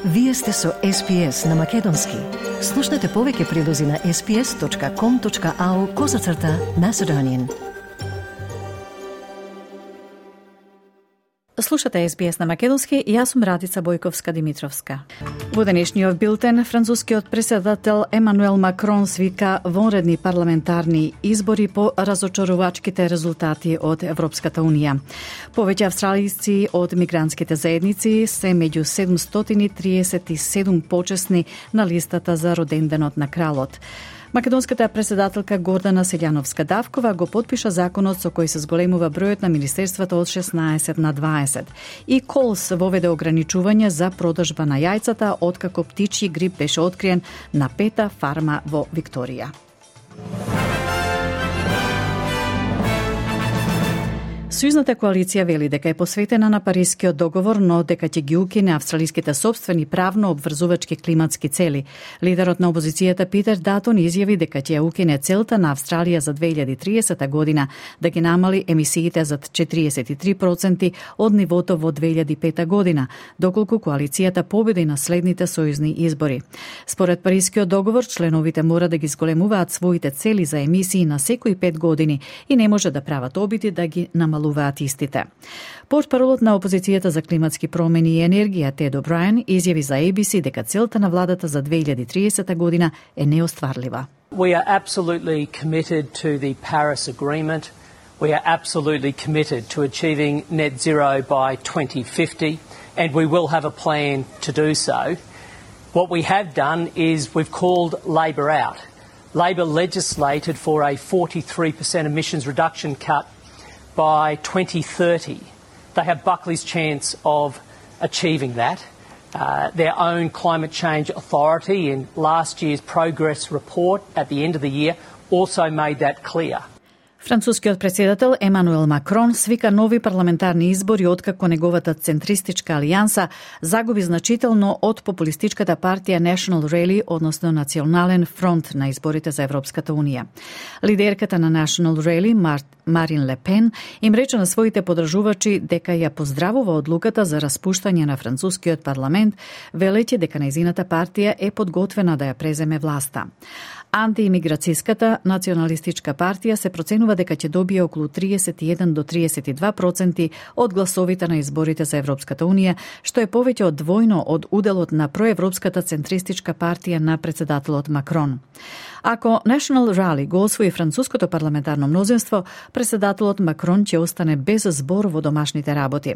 Вие сте со SPS на Македонски. Слушнете повеќе прилози на sps.com.au/Macedonian. Слушате SBS на Македонски и јас сум Радица Бојковска-Димитровска. Во денешниот билтен, францускиот претседател Емануел Макрон свика вонредни парламентарни избори по разочарувачките резултати од Европската Унија. Повеќе австралијци од мигрантските заедници се меѓу 737 почесни на листата за роденденот на кралот. Македонската претседателка Гордана Селјановска-Давкова го потпиша законот со кој се зголемува бројот на министерствата од 16 на 20. И Колс воведе ограничување за продажба на јајцата откако птичји грип беше откриен на 5-та фарма во Викторија. Сојузната коалиција вели дека е посветена на Парискиот договор, но дека ќе ги укине австралиските сопствени правно обврзувачки климатски цели. Лидерот на опозицијата Питер Датон изјави дека ќе ја укине целта на Австралија за 2030 година да ги намали емисиите за 43% од нивото во 2005 година, доколку коалицијата победи на следните сојузни избори. Според Парискиот договор, членовите мора да ги зголемуваат своите цели за емисии на секои 5 години и не може да прават обиди да ги намалуваат истите. Портпаролот на опозицијата за климатски промени и енергија Тед О'Брајен изјави за ABC дека целта на владата за 2030 година е неостварлива. We are absolutely committed to the Paris Agreement. We are absolutely committed to achieving net zero by 2050, and we will have a plan to do so. What we have done is we've called Labor out. Labor legislated for a 43% emissions reduction cut by 2030. They have Buckley's chance of achieving that. Their own climate change authority in last year's progress report at the end of the year also made that clear. Францускиот претседател Емануел Макрон свика нови парламентарни избори откако неговата центристичка алијанса загуби значително од популистичката партија National Rally, односно Национален фронт на изборите за Европската Унија. Лидерката на National Rally, Марин Ле Пен, им рече на своите подржувачи дека ја поздравува одлуката за распуштање на францускиот парламент, велејќи дека нејзината партија е подготвена да ја преземе власта. Антиимиграцијската националистичка партија се проценува дека ќе добие околу 31 до 32% од гласовите на изборите за Европската Унија, што е повеќе од двојно од уделот на проевропската центристичка партија на претседателот Макрон. Ако National Rally го освои француското парламентарно мнозинство, претседателот Макрон ќе остане без збор во домашните работи.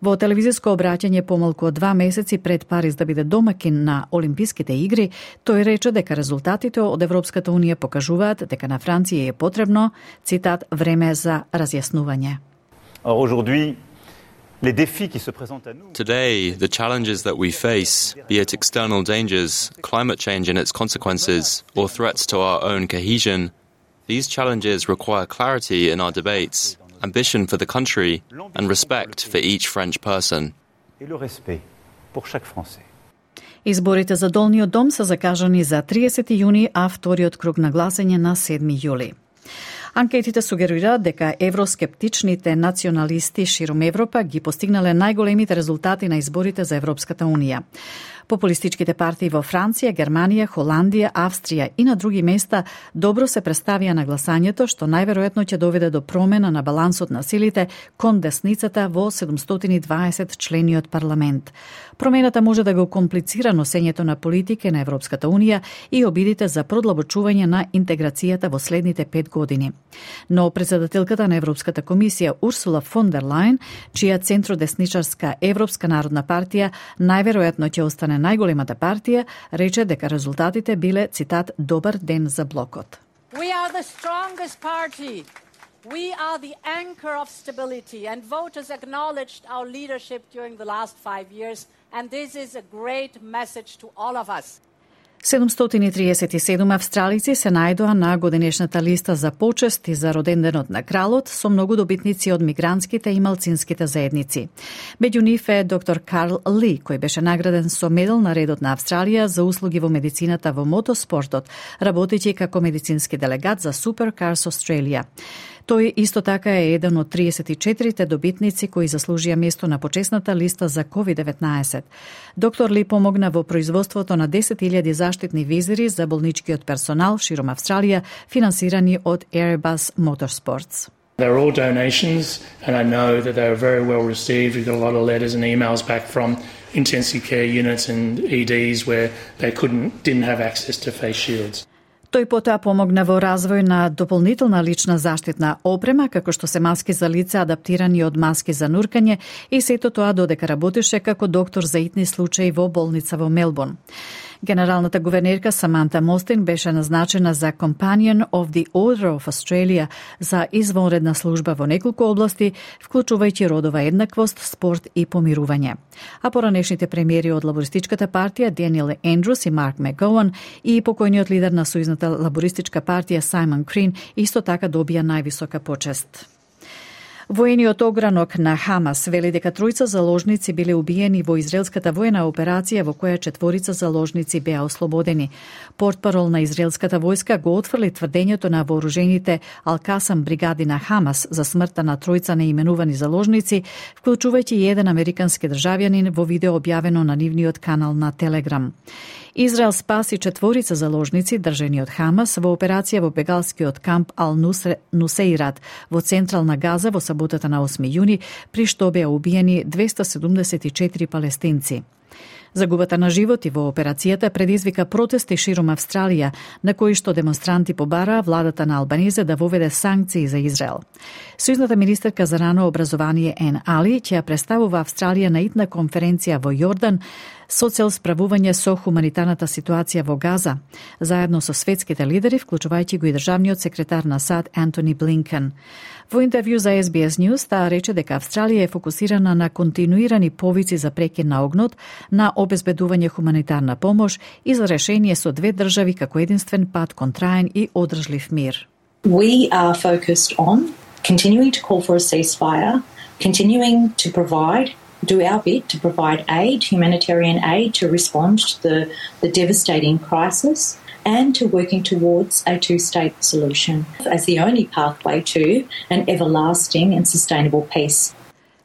Во телевизиско обраќање помалку од 2 месеци пред Париз да биде домакин на Олимписките игри, тој рече дека резултатите од Европската Унија покажуваат дека на Франција е потребно, цитат, време за разјаснување. Today, the challenges that we face, be it external dangers, climate change and its consequences, or threats to our own cohesion, these challenges require clarity in our debates, ambition for the country, and respect for each French person. Изборите за Долниот дом се закажани за 30 јуни, а вториот круг на гласање на 7 јули. Анкетите сугерираат дека евроскептичните националисти широм Европа ги постигнале најголемите резултати на изборите за Европската Унија. Популистичките партии во Франција, Германија, Холандија, Австрија и на други места добро се представија на гласањето, што најверојатно ќе доведе до промена на балансот на силите кон десницата во 720 члениот парламент. Промената може да го комплицира носењето на политики на Европската Унија и обидите за продлабочување на интеграцијата во следните 5 години. Но претседателката на Европската комисија Урсула фон дер Лајен, чија центродесничарска Европска народна партија најверојатно ќе остане најголемата партија, рече дека резултатите биле, цитат, добар ден за блокот. We are the strongest party. We are the anchor of stability, and voters acknowledged our leadership during the last 5 years, and this is a great message to all of us. 737 австралици се најдоа на годинешната листа за почести за роденденот на кралот со многу добитници од мигрантските и малцинските заедници. Меѓу нив е доктор Карл Ли, кој беше награден со медал на редот на Австралија за услуги во медицината во мотоспортот, работејќи како медицински делегат за Supercars Australia. Тој исто така е еден од 34 добитници кои заслужија место на почесната листа за COVID-19. Доктор Ли помогна во производството на 10.000 заштитни визири за болничкиот персонал широм Австралија, финансирани од Airbus Motorsports. They're all donations, and I know that they were very well received. We got a lot of letters and emails back from intensive care units and EDs where they didn't have access to face shields. Тој потоа помогна во развој на дополнителна лична заштитна опрема, како што се маски за лице адаптирани од маски за нуркање, и сето тоа додека работеше како доктор за итни случаи во болница во Мелбурн. Генералната гувернерка Саманта Мостин беше назначена за Companion of the Order of Australia за извонредна служба во неколку области, вклучувајќи родова еднаквост, спорт и помирување. А поранешните премиери од лабористичката партија Даниел Ендрус и Марк Макгоуан и покојниот лидер на сојузната лабористичка партија Саймон Крин исто така добија највисока почест. Воениот огранок на Хамас вели дека тројца заложници биле убиени во израелската воена операција во која 4 заложници беа ослободени. Портпарол на израелската војска го отфрли тврдењето на вооружените Ал-Касам бригади на Хамас за смртта на тројца неименувани заложници, вклучувајќи и еден американски државјанин во видео објавено на нивниот канал на Телеграм. Израел спаси 4 заложници држани од Хамас во операција во бегалскиот камп Ал-Нусейрат во централна Газа во саботата на 8 јуни, при што беа убиени 274 палестинци. Загубата на животи во операцијата предизвика протести широм Австралија, на кои што демонстранти побараа владата на Албанезе да воведе санкции за Израел. Сојузната министерка за рано образование Ен Али ќе ја представува Австралија на итна конференција во Јордан со цел справување со хуманитарната ситуација во Газа, заедно со светските лидери, вклучувајќи го и државниот секретар на САД Антони Блинкен. Во интервју за SBS News таа рече дека Австралија е фокусирана на континуирани повици за прекин на огнот, на обезбедување хуманитарна помош и за решение со две држави како единствен пат кон траен и одржлив мир. We are focused on continuing to call for a ceasefire, continuing to do our bit to provide aid, humanitarian aid, to respond to the devastating crisis, and to working towards a two-state solution as the only pathway to an everlasting and sustainable peace.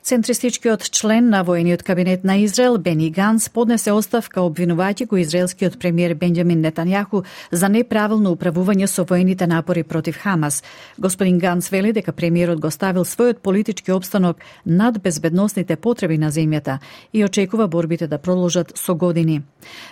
Центристичкиот член на воениот кабинет на Израел Бени Ганс поднесе оставка обвинувајќи го израелскиот премиер Бенџамин Нетањаху за неправилно управување со воените напори против Хамас. Господин Ганс вели дека премиерот го ставил својот политички опстанок над безбедносните потреби на земјата и очекува борбите да продолжат со години.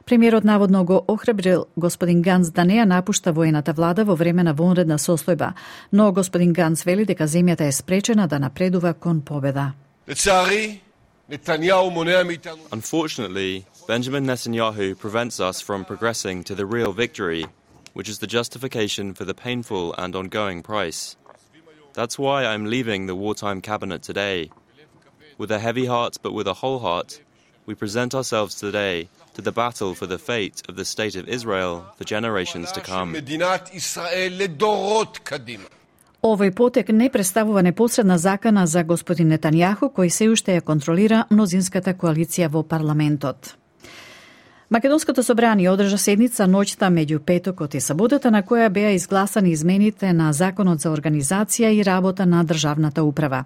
Премиерот наводно го охрабрил господин Ганс да не ја напушта воената влада во време на вонредна состојба, но господин Ганс вели дека земјата е спречена да напредува кон победа. Unfortunately, Benjamin Netanyahu prevents us from progressing to the real victory, which is the justification for the painful and ongoing price. That's why I'm leaving the wartime cabinet today. With a heavy heart but with a whole heart, we present ourselves today to the battle for the fate of the state of Israel for generations to come. Овој потек не представува непосредна закана за господин Нетањаху, кој се уште ја контролира мнозинската коалиција во парламентот. Македонското собрание одржа седница ноќта меѓу петокот и саботата, на која беа изгласани измените на Законот за организација и работа на државната управа.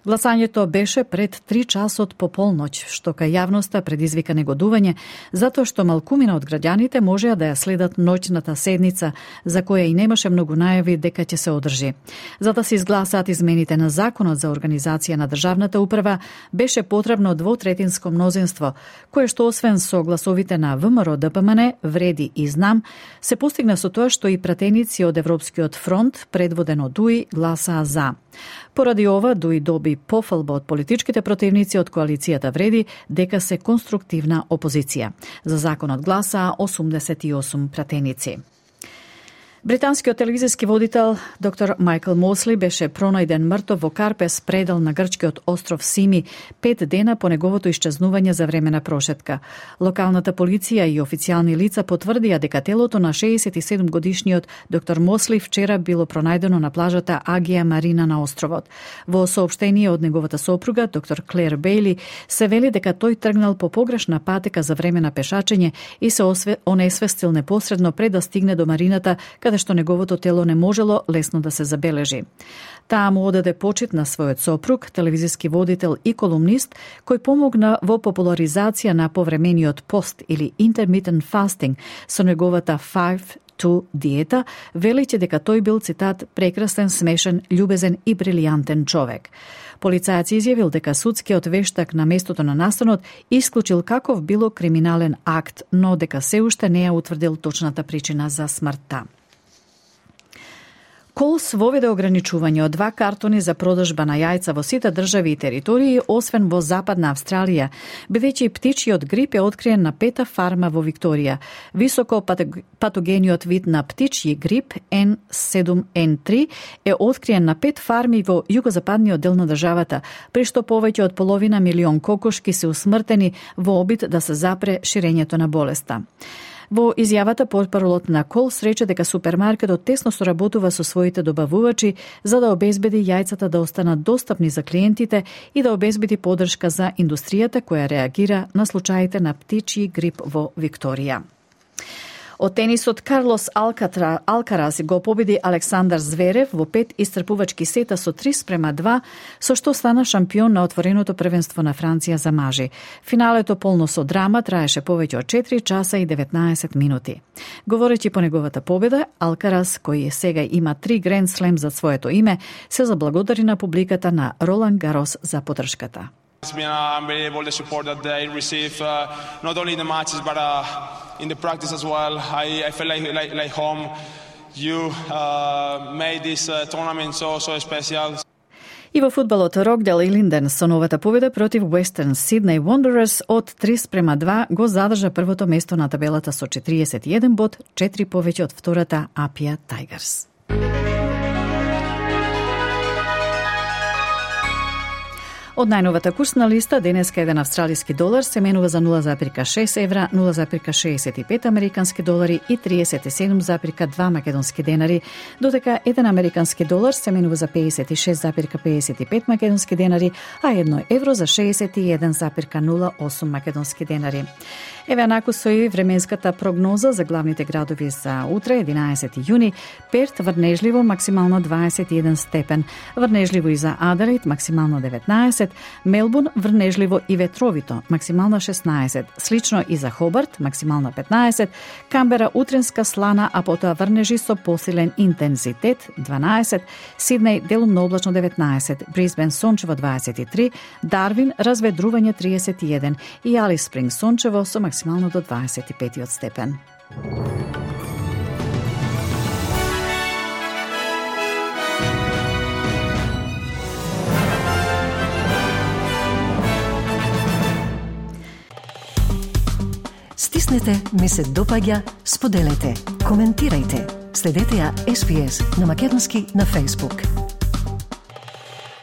Гласањето беше пред 3 часот по полноќ, што кај јавноста предизвика негодување, затоа што малкумина од граѓаните можеа да ја следат ноќната седница, за која и немаше многу најави дека ќе се одржи. За да се изгласаат измените на Законот за организација на државната управа, беше потребно двотретинско мнозинство, кое што освен со гласовите на ВМРО ДПМН, Вреди и Знам, се постигна со тоа што и пратеници од Европскиот фронт, предводен од ДУИ, гласаа за. Поради ова, ДУИ доби пофалба од политичките противници од коалицијата Вреди дека се конструктивна опозиција. За законот гласаа 88 пратеници. Британскиот телевизиски водител доктор Майкл Мосли беше пронајден мртов во Карпес, предел на грчкиот остров Сими, 5 дена по неговото исчезнување за време на прошетка. Локалната полиција и официјални лица потврдија дека телото на 67 годишниот доктор Мосли вчера било пронајдено на плажата Агија Марина на островот. Во соопштение од неговата сопруга, доктор Клер Бейли, се вели дека тој тргнал по погрешна патека за време на пешачење и се онесвестил непосредно пред да стигне до марината, каде што неговото тело не можело лесно да се забележи. Таа му одаде почит на својот сопруг, телевизиски водител и колумнист, кој помогна во популаризација на повремениот пост или intermittent fasting со неговата 5-2 диета, велејќи дека тој бил, цитат, прекрасен, смешен, љубезен и брилијантен човек. Полицајец изјавил дека судскиот вештак на местото на настанот исклучил каков било криминален акт, но дека се уште не ја утврдил точната причина за смртта. Колс воведе ограничување од 2 картони за продажба на јајца во сите држави и територии, освен во Западна Австралија, бидејќи птичјиот грип е откриен на 5-та фарма во Викторија. Високо патогениот вид на птичји грип N7N3 е откриен на 5 фарми во југозападниот дел на државата, при што повеќе од половина милион кокошки се усмртени во обид да се запре ширењето на болеста. Во изјавата портпаролот на Колс рече дека супермаркетот тесно соработува со своите добавувачи за да обезбеди јајцата да останат достапни за клиентите и да обезбеди поддршка за индустријата која реагира на случаите на птичји грип во Викторија. Од тенисот, Карлос Алкарас го победи Александар Зверев во 5 исцрпувачки сета со 3:2, со што стана шампион на отвореното првенство на Франција за мажи. Финалето полно со драма траеше повеќе од 4 часа и 19 минути. Говорејќи по неговата победа, Алкарас, кој сега има 3 Гранд Слем за своето име, се заблагодари на публиката на Ролан Гарос за поддршката. It's been unbelievable the support that they receive, not only in the matches but in the practice as well. I feel like home. You made this tournament so special. И во фудбалот, Рокдел и Линден со новата победа против Western Sydney Wanderers од 3:2 го задржа првото место на табелата со 41 бод, 4 повеќе од втората Апија Tigers. Од најновата курсна листа, денеска еден австралиски долар се менува за 0,6 евра, 0,65 американски долари и 37,2 македонски денари, додека еден американски долар се менува за 56,55 македонски денари, а 1 евро за 61,08 македонски денари. Еве анаку со и временската прогноза за главните градови за утре, 11 јуни. Перт врнежливо, максимално 21 степен. Врнежливо и за Аделаид, максимално 19. Мелбурн врнежливо и ветровито, максимално 16. Слично и за Хобарт, максимално 15. Камбера утренска слана, а потоа врнежи со посилен интензитет, 12. Сиднеј делумно облачно 19. Брисбен сончево 23. Дарвин разведрување 31. И Алис Спринг сончево со максимално до 25 степен. Стиснете, ми се допаѓа, споделете, коментирајте. Следете ја SPS на Македонски на Facebook.